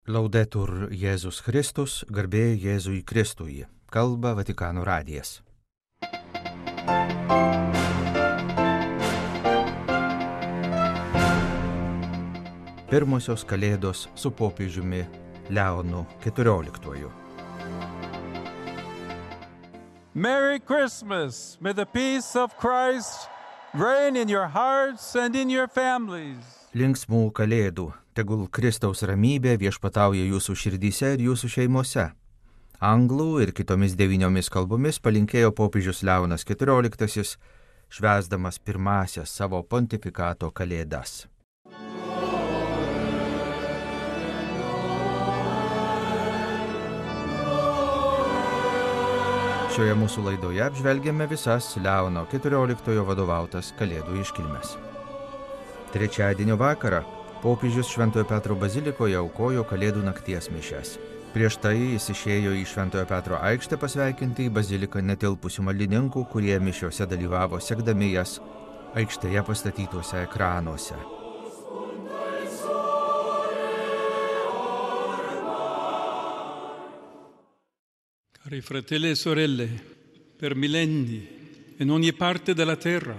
Laudetur Jėzus Kristus, garbė Jėzui Kristui. Kalba Vatikano radijas. Pirmosios kalėdos su popiežiumi Leonu XIV. Merry Christmas! May the peace of Christ reign in your hearts and in your families. Linksmų kalėdų, tegul Kristaus ramybė viešpatauja jūsų širdyse ir jūsų šeimose. Anglų ir kitomis 9 kalbomis palinkėjo popiežius Leonas XIV, švęsdamas pirmąsias savo pontifikato kalėdas. Šioje mūsų laidoje apžvelgiame visas Leono XIV vadovautas kalėdų iškilmes. Trečiadienio vakarą popiežius Šventojo Petro bazilikoje aukojo kalėdų nakties mišias. Prieš tai jis išėjo į Šventojo Petro aikštę pasveikinti į baziliką netilpusių maldininkų, kurie mišiose dalyvavo sekdami jas aikštėje pastatytuose ekranuose. Cari fratelli e sorelle, per millenni in ogni parte della terra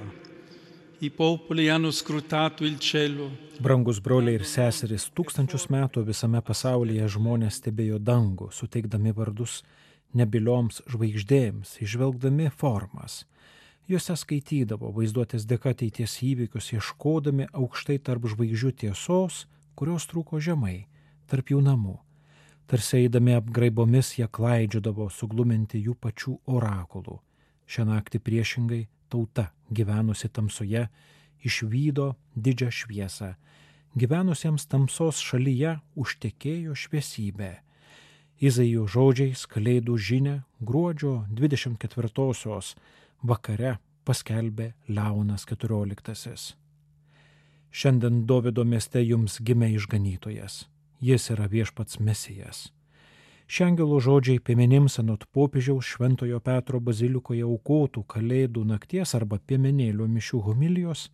I popoli hanno scrutato il cielo. Brangus broliai ir seserys, 1000 metų visame pasaulyje žmonės stebėjo dangų, suteikdami vardus nebilioms žvaigždėms, išvelgdami formas. Juose skaitydavo vaizduotės dėka ateities įvykius, ieškodami aukštai tarp žvaigždžių tiesos, kurios trūko žemai, tarp jų namų. Tarsi eidami apgraibomis jie klaidžiodavo sugluminti jų pačių orakulų. Šią naktį priešingai tauta, gyvenusi tamsoje, išvydo didžią šviesą. Gyvenusiems tamsos šalyje užtekėjo šviesybė. Izaijo žodžiais kalėdų žinią gruodžio 24-osios vakare paskelbė Leonas XIV. Šiandien Dovydo mieste jums gimė išganytojas. Jis yra viešpats Mesijas. Šie angelo žodžiai piemenims anot popiežiaus Šventojo Petro bazilikoje aukotų kalėdų nakties arba piemenėlio mišių homilijos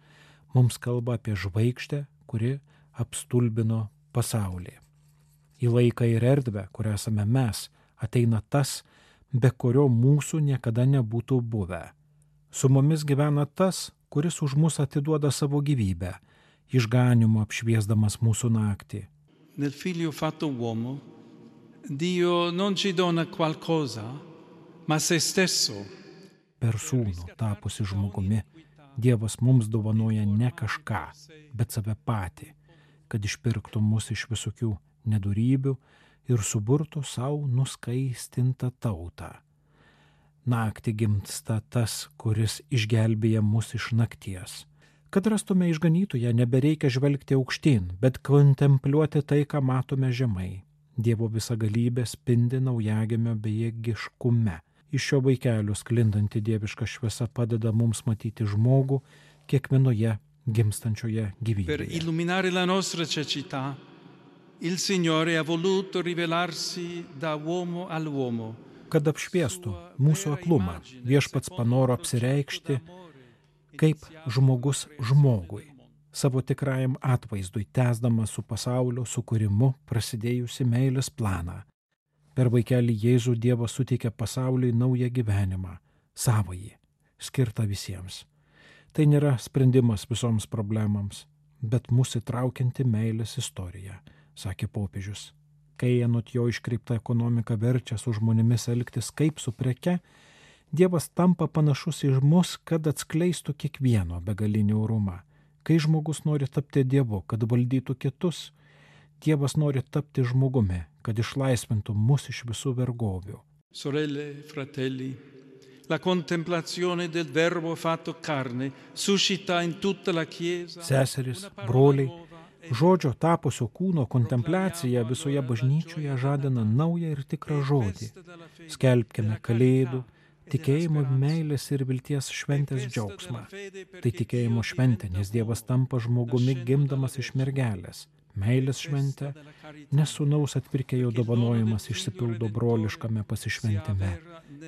mums kalba apie žvaigždę, kuri apstulbino pasaulį. Į laiką ir erdvę, kur esame mes, ateina tas, be kurio mūsų niekada nebūtų buvę. Su mumis gyvena tas, kuris už mus atiduoda savo gyvybę, išganymu apšviesdamas mūsų naktį. Nel figlio fatto uomo Dio non ci dona qualcosa, ma se stesso. Per sūnų tapusi žmogumi, Dievas mums dovanoja ne kažką, bet save patį, kad išpirktų mus iš visokių nedorybių ir suburtų savo nuskaistintą tautą. Naktį gimsta tas, kuris išgelbėja mus iš nakties. Kad rastume išganytoją, nebereikia žvelgti aukštyn, bet kontempliuoti tai, ką matome žemai. Dievo visagalybė spindi naujagimio bejėgiškume. Iš šio vaikelio sklindanti dieviška šviesa padeda mums matyti žmogų kiekvienoje gimstančioje gyvybėje. Per illuminare la nostra cecità, il Signore ha voluto rivelarsi da uomo all'uomo. Kad apšviestų mūsų aklumą, viešpats panoro apsireikšti kaip žmogus žmogui, savo tikrajam atvaizdui, tęsdamas su pasaulio sukūrimu prasidėjusi meilės planą. Per vaikelį Jėzų Dievas suteikė pasauliui naują gyvenimą, savąjį, skirtą visiems. Tai nėra sprendimas visoms problemams, bet mūsų įtraukianti meilės istorija, sakė popiežius. Kai anot jo iškreipta ekonomika verčia su žmonėmis elgtis kaip su preke, Dievas tampa panašus į mus, kad atskleistų kiekvieno begalinį orumą. Kai žmogus nori tapti Dievu, kad valdytų kitus, Dievas nori tapti žmogumi, kad išlaisvintų mus iš visų vergovių. Sorelle, fratelli, la contemplazione del verbo fatto carne suscita in tutta la Chiesa. Seserys, broliai, žodžio tapusio kūno kontempliacija visoje bažnyčioje žadina naują ir tikrą žodį. Skelbkime kalėdų, tikėjimo, meilės ir vilties šventės džiaugsmą. Tai tikėjimo šventė, nes Dievas tampa žmogumi gimdamas iš mergelės. Meilės šventė, nes sūnaus atpirkėjo dovanojimas išsipildo broliškame pasišventime.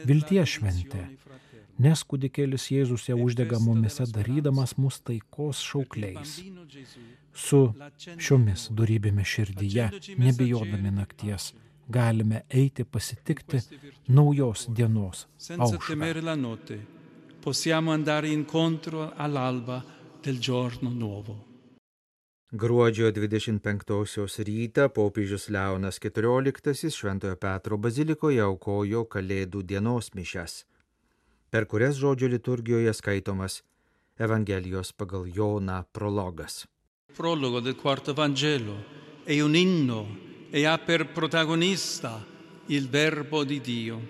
Vilties šventė, nes kūdikėlis Jėzus ją uždega mumyse, darydamas mus taikos šaukliais. Su šiomis dorybėmis širdyje, nebijodami nakties, galime eiti pasitikti naujos dienos aušrą. Possiamo andare incontro all'alba del giorno nuovo. Gruodžio 25 rytą popiežius Leonas XIV Šventojo Petro bazilikoje aukojo Kalėdų dienos mišias, per kurias žodžio liturgijoje skaitomas Evangelijos pagal Joną prologas. Prologo del quarto Vangelo è un inno e ha per protagonista il Verbo di Dio.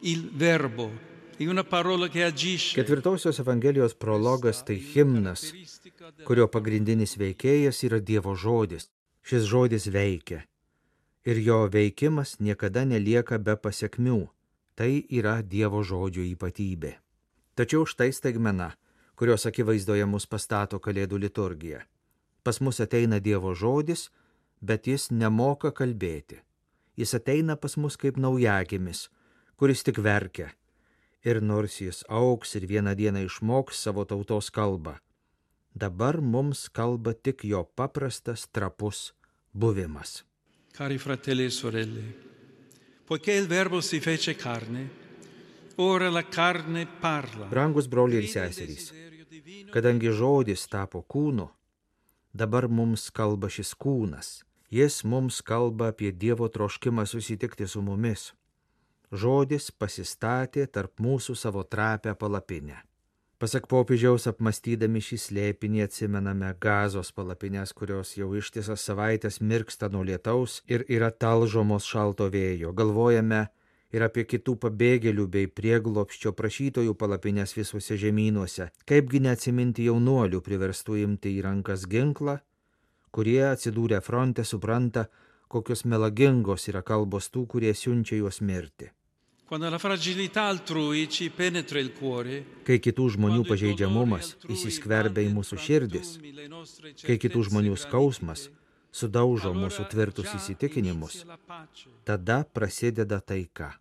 Il Verbo è una parola che agisce. Ketvirtosios Evangelijos prologas tai himnas, kurio pagrindinis veikėjas yra Dievo žodis. Šis žodis veikia ir jo veikimas niekada nelieka be pasekmių. Tai yra Dievo žodžio ypatybė. Tačiau štai staigmena, kurios akivaizdoje mus pastato Kalėdų liturgija. Pas mus ateina Dievo žodis, bet jis nemoka kalbėti. Jis ateina pas mus kaip naujagimis, kuris tik verkia. Ir nors jis augs ir vieną dieną išmoks savo tautos kalbą, dabar mums kalba tik jo paprastas, trapus buvimas. Cari fratelli e sorelle, poiché il Verbo si fece carne, ora la carne parla. Brangus broliai ir seserys, kadangi žodis tapo kūnu, dabar mums kalba šis kūnas. Jis mums kalba apie Dievo troškimą susitikti su mumis. Žodis pasistatė tarp mūsų savo trapę palapinę. Pasak popiežiaus, apmastydami šį slėpinį atsimename Gazos palapinės, kurios jau ištisas savaitės mirksta nuo lietaus ir yra talžomos šalto vėjo. Galvojame ir apie kitų pabėgėlių bei prieglobsčio prašytojų palapinės visuose žemynuose. Kaipgi neatsiminti jaunuolių priverstų imti į rankas ginklą, kurie atsidūrę fronte supranta, kokios melagingos yra kalbos tų, kurie siunčia juos mirti. Kai kitų žmonių pažeidžiamumas įsiskverbia į mūsų širdis, kai kitų žmonių skausmas sudaužo mūsų tvirtus įsitikinimus, tada prasideda taika.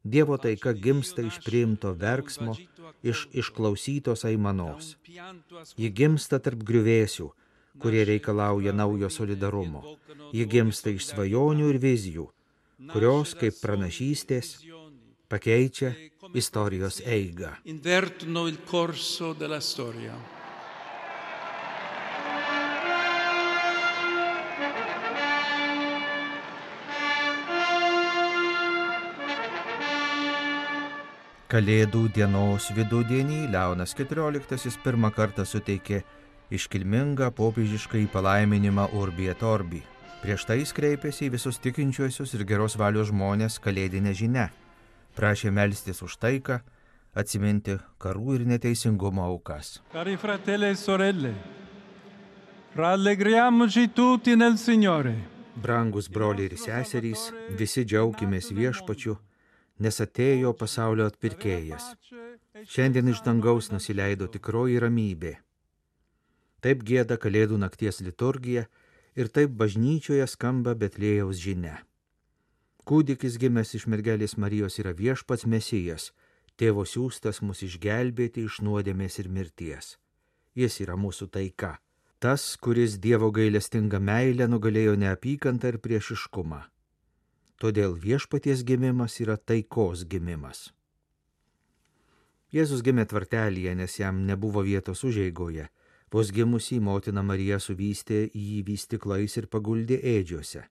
Dievo taika gimsta iš priimto verksmo, iš išklausytos aimanos. Ji gimsta tarp griuvėsių, kurie reikalauja naujo solidarumo. Ji gimsta iš svajonių ir vizijų, kurios kaip pranašystės pakeičia istorijos eigą. Invertono il corso della storia. Kalėdų dienos vidudienį Leonas XIV pirmą kartą suteikė iškilmingą popiežišką palaiminimą Urbi et Orbi. Prieš tai jis kreipėsi į visus tikinčiuosius ir geros valios žmonės kalėdinę žinią. Prašė melstis už taiką, atsiminti karų ir neteisingumo aukas. Cari fratelli e sorelle, rallegriamoci tutti nel Signore. Brangus broliai ir seserys, visi džiaukimės viešpačiu, nes atėjo pasaulio atpirkėjas. Šiandien iš dangaus nusileido tikroji ramybė. Taip gieda Kalėdų nakties liturgija ir taip bažnyčioje skamba Betliejaus žinia. Kūdikis gimęs iš mergelės Marijos yra viešpats Mesijas, tėvo siųstas mus išgelbėti iš nuodėmės ir mirties. Jis yra mūsų taika. Tas, kuris Dievo gailestingą meilę nugalėjo neapykantą ir priešiškumą. Todėl viešpaties gimimas yra taikos gimimas. Jėzus gimė tvartelyje, nes jam nebuvo vietos užeigoje. Vos gimusį motina Marija suvystė jį vystyklais ir paguldė ėdžiuose.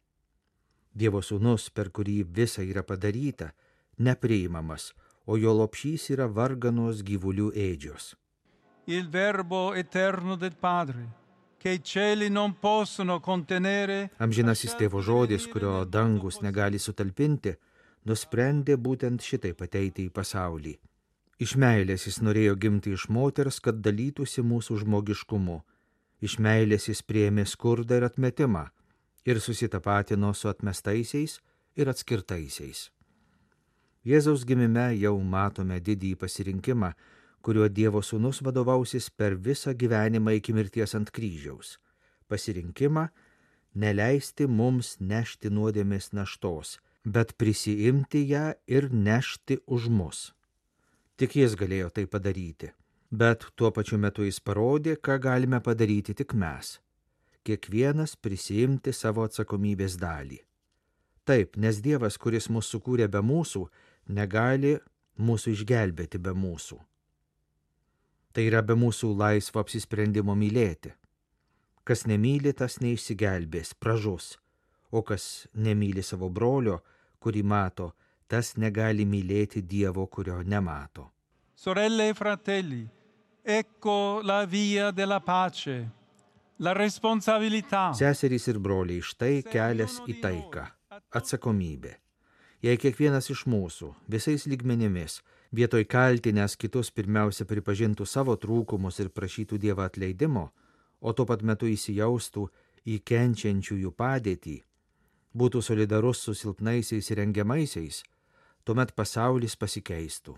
Dievo sūnus, per kurį visa yra padaryta, nepriimamas, o jo lopšys yra varganos gyvulių ėdžios. Il verbo eterno del Padre, che i cieli non possono contenere. Amžinasis tėvo žodis, kurio dangus negali sutalpinti, nusprendė būtent šitaip ateiti į pasaulį. Iš meilės jis norėjo gimti iš moters, kad dalytųsi mūsų žmogiškumu. Iš meilės jis priėmė skurdą ir atmetimą ir susitapatino su atmestaisiais ir atskirtaisiais. Jėzaus gimime jau matome didįjį pasirinkimą, kuriuo Dievo sūnus vadovausis per visą gyvenimą iki mirties ant kryžiaus. Pasirinkimą neleisti mums nešti nuodėmės naštos, bet prisiimti ją ir nešti už mus. Tik jis galėjo tai padaryti. Bet tuo pačiu metu jis parodė, ką galime padaryti tik mes. Kiekvienas prisiimti savo atsakomybės dalį. Taip, nes Dievas, kuris mus sukūrė be mūsų, negali mūsų išgelbėti be mūsų. Tai yra be mūsų laisvo apsisprendimo mylėti. Kas nemyli, tas neišsigelbės, pražus, o kas nemyli savo brolio, kurį mato, tas negali mylėti Dievo, kurio nemato. Sorelle e fratelli, ecco la via della pace, la responsabilità. Seserys ir broliai, štai kelias į taiką, atsakomybė. Jei kiekvienas iš mūsų visais lygmenimis vietoj kaltinęs kitus pirmiausia pripažintų savo trūkumus ir prašytų Dievą atleidimo, o tuo pat metu įsijaustų į kenčiančiųjų padėtį, būtų solidarus su silpnaisiais ir engiamaisiais, tuomet pasaulis pasikeistų.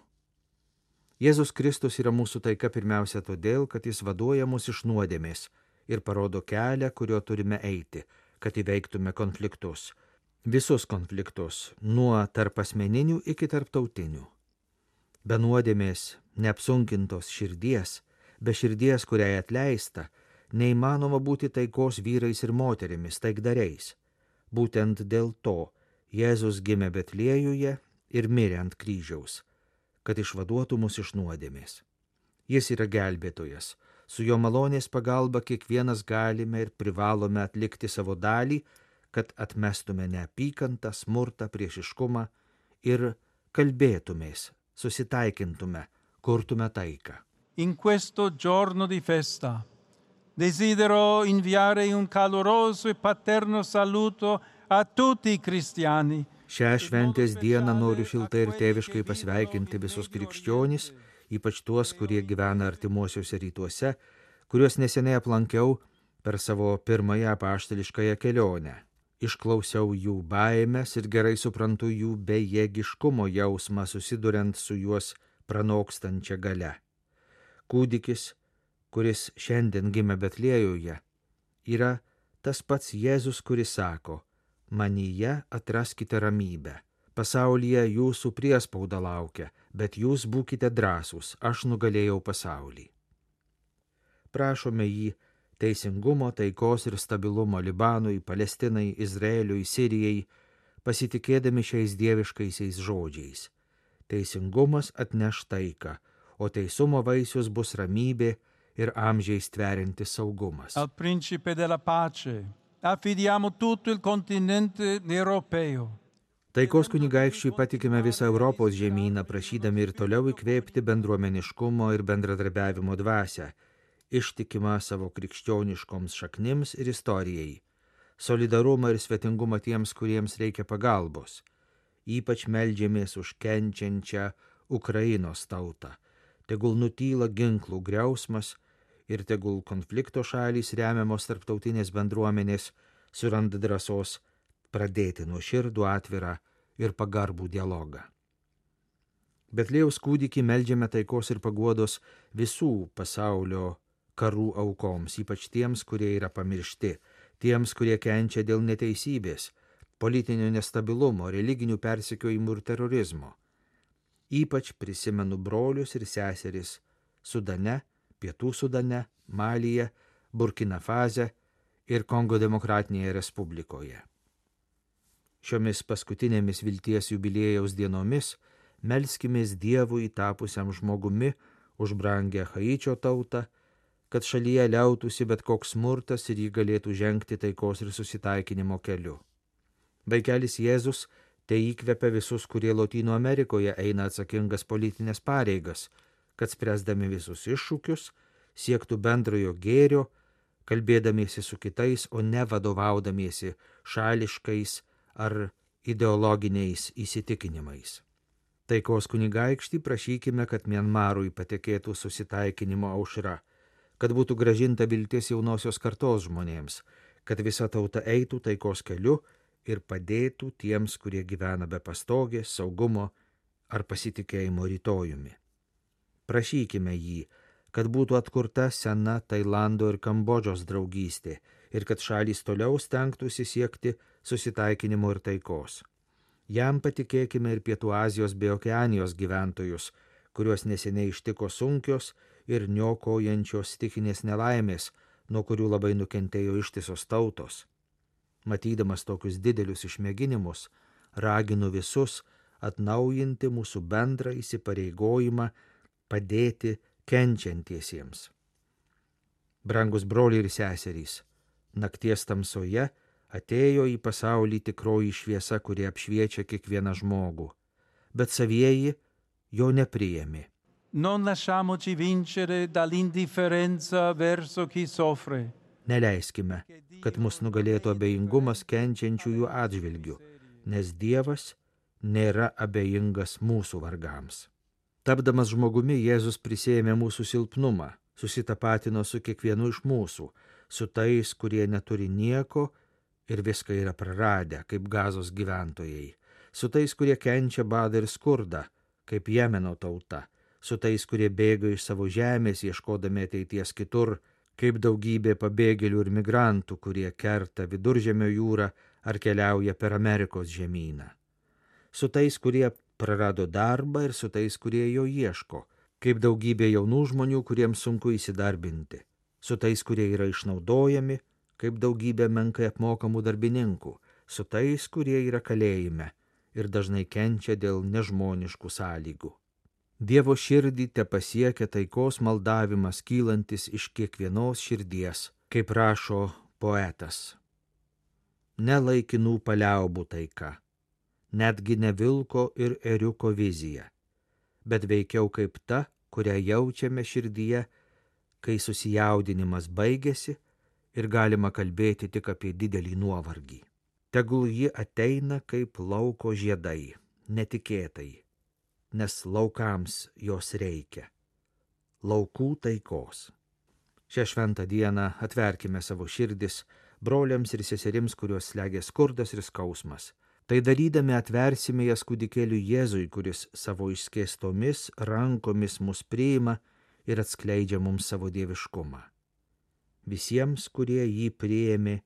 Jėzus Kristus yra mūsų taika pirmiausia todėl, kad jis vaduoja mus iš nuodėmės ir parodo kelią, kuriuo turime eiti, kad įveiktume konfliktus. Visus konfliktus, nuo tarpasmeninių iki tarptautinių. Be nuodėmės, neapsunkintos širdies, be širdies, kuriai atleista, neįmanoma būti taikos vyrais ir moterimis, taikdariais. Būtent dėl to Jėzus gimė Betliejuje ir mirė ant kryžiaus, kad išvaduotų mus iš nuodėmės. Jis yra gelbėtojas. Su jo malonės pagalba kiekvienas galime ir privalome atlikti savo dalį, kad atmestume neapykantą, smurtą, priešiškumą ir kalbėtumės, susitaikintume, kurtume taiką. In questo giorno di festa desidero inviare un caloroso e paterno saluto a tutti i cristiani. Šią šventės dieną noriu šiltai ir tėviškai pasveikinti visus krikščionis, ypač tuos, kurie gyvena artimuosiuose rytuose, kuriuos neseniai aplankiau per savo pirmąją apaštališkąją kelionę. Išklausiau jų baimės ir gerai suprantu jų bejėgiškumo jausmą susiduriant su juos pranokstančia galia. Kūdikis, kuris šiandien gimė Betliejuje, yra tas pats Jėzus, kuris sako: manyje atraskite ramybę. Pasaulyje jūsų priespauda laukia, bet jūs būkite drąsūs, aš nugalėjau pasaulį. Prašome jį teisingumo, taikos ir stabilumo Libanui, Palestinai, Izraeliui, Sirijai, pasitikėdami šiais dieviškaisiais žodžiais. Teisingumas atneš taiką, o teisumo vaisius bus ramybė ir amžiais tveriantis saugumas. Al principe della pace affidiamo tutto il continente europeo. Taikos kunigaikščiui patikime visą Europos žemyną, prašydami ir toliau įkvėpti bendruomeniškumo ir bendradarbiavimo dvasią, ištikimą savo krikščioniškoms šaknims ir istorijai, solidarumą ir svetingumą tiems, kuriems reikia pagalbos. Ypač meldžiamės už kenčiančią Ukrainos tautą. Tegul nutyla ginklų griausmas ir tegul konflikto šalys remiamos tarptautinės bendruomenės suranda drąsos pradėti nuoširdų, atvirą ir pagarbų dialogą. Betliejaus kūdikį meldžiame taikos ir paguodos visų pasaulio karų aukoms, ypač tiems, kurie yra pamiršti, tiems, kurie kenčia dėl neteisybės, politinio nestabilumo, religinių persekiojimų ir terorizmo. Ypač prisimenu brolius ir seseris Sudane, Pietų Sudane, Malyje, Burkina Faze ir Kongo Demokratinėje Respublikoje. Šiomis paskutinėmis vilties jubiliejaus dienomis melskimės Dievui tapusiam žmogumi už brangią Haičio tautą, kad šalyje liautųsi bet koks smurtas ir jį galėtų žengti taikos ir susitaikinimo keliu. Vaikelis Jėzus tai įkvepia visus, kurie Lotynų Amerikoje eina atsakingas politinės pareigas, kad spręsdami visus iššūkius siektų bendrojo gėrio, kalbėdamiesi su kitais, o ne vadovaudamiesi šališkais ar ideologiniais įsitikinimais. Taikos kunigaikštį prašykime, kad Mianmarui patekėtų susitaikinimo aušra, kad būtų grąžinta viltis jaunosios kartos žmonėms, kad visa tauta eitų taikos keliu ir padėtų tiems, kurie gyvena be pastogės, saugumo ar pasitikėjimo rytojumi. Prašykime jį, kad būtų atkurta sena Tailando ir Kambodžos draugystė ir kad šalys toliau stengtųsi siekti susitaikinimo ir taikos. Jam patikėkime ir Pietų Azijos bei Okeanijos gyventojus, kuriuos neseniai ištiko sunkios ir niokojančios stichinės nelaimės, nuo kurių labai nukentėjo ištisos tautos. Matydamas tokius didelius išmėginimus, raginu visus atnaujinti mūsų bendrą įsipareigojimą padėti kenčiantiesiems. Brangus broliai ir seserys, nakties tamsoje atėjo į pasaulį tikroji šviesa, kuri apšviečia kiekvieną žmogų, bet savieji jo nepriėmė. Non lasciamoci vincere dall'indifferenza verso chi soffre. Neleiskime, kad mus nugalėtų abejingumas kenčiančiųjų atžvilgių, nes Dievas nėra abejingas mūsų vargams. Tapdamas žmogumi, Jėzus prisėmė mūsų silpnumą, susitapatino su kiekvienu iš mūsų, su tais, kurie neturi nieko ir viską yra praradę, kaip Gazos gyventojai, su tais, kurie kenčia badą ir skurdą, kaip Jemeno tauta, su tais, kurie bėga iš savo žemės, ieškodami ateities kitur, kaip daugybė pabėgėlių ir migrantų, kurie kerta Viduržemio jūrą ar keliauja per Amerikos žemyną. Su tais, kurie prarado darbą ir su tais, kurie jo ieško, kaip daugybė jaunų žmonių, kuriems sunku įsidarbinti, su tais, kurie yra išnaudojami, kaip daugybė menkai apmokamų darbininkų, su tais, kurie yra kalėjime ir dažnai kenčia dėl nežmoniškų sąlygų. Dievo širdį te pasiekia taikos maldavimas kylantis iš kiekvienos širdies, kaip rašo poetas. Ne laikinų paliaubų taika, netgi ne vilko ir ėriuko vizija, bet veikiau kaip ta, kurią jaučiame širdyje, kai susijaudinimas baigėsi ir galima kalbėti tik apie didelį nuovargį. Tegul ji ateina kaip lauko žiedai, netikėtai, nes laukams jos reikia. Laukų taikos. Šią šventą dieną atverkime savo širdis broliams ir seserims, kuriuos slegia skurdas ir skausmas. Tai darydami atversime jas kūdikėliui Jėzui, kuris savo išskėstomis rankomis mus priima ir atskleidžia mums savo dieviškumą. Visiems, kurie jį priėmė,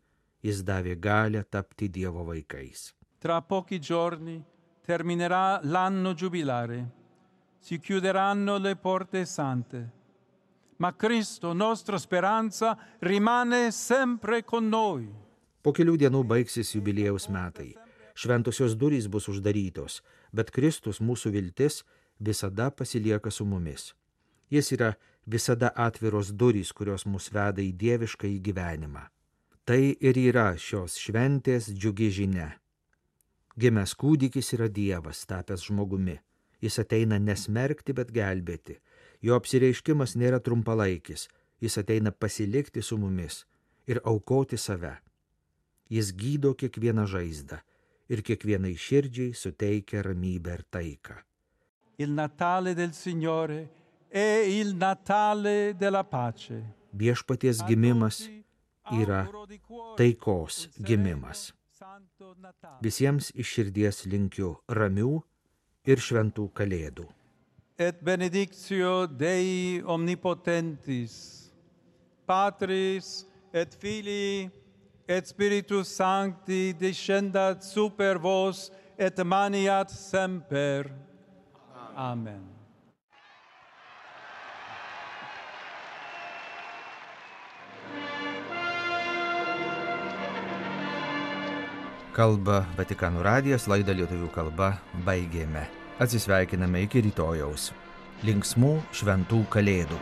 jis davė galią tapti Dievo vaikais. Tra pochi giorni terminerà l'anno giubilare, si chiuderanno le porte sante, ma Cristo, nostra speranza, rimane sempre con noi. Po kelių dienų baigsis jubiliejaus metai. Šventosios durys bus uždarytos, bet Kristus, mūsų viltis, visada pasilieka su mumis. Jis yra visada atviros durys, kurios mus veda į dievišką gyvenimą. Tai ir yra šios šventės džiugi žinia. Gimęs kūdikis yra Dievas, tapęs žmogumi. Jis ateina nesmerkti, bet gelbėti. Jo apsireiškimas nėra trumpalaikis. Jis ateina pasilikti su mumis ir aukoti save. Jis gydo kiekvieną žaizdą ir kiekvienai širdžiai suteikia ramybę ir taiką. Il Natale del Signore è il Natale della pace. Viešpaties gimimas yra taikos gimimas. Visiems iš širdies linkiu ramių ir šventų kalėdų. Et benedictio Dei omnipotentis, Patris et Filii et Spiritus Sancti descendat super vos et maniat semper. Amen. Kalba Vatikano radijas, laidą lietuvių kalba baigėme. Atsisveikiname iki rytojaus. Linksmų šventų kalėdų.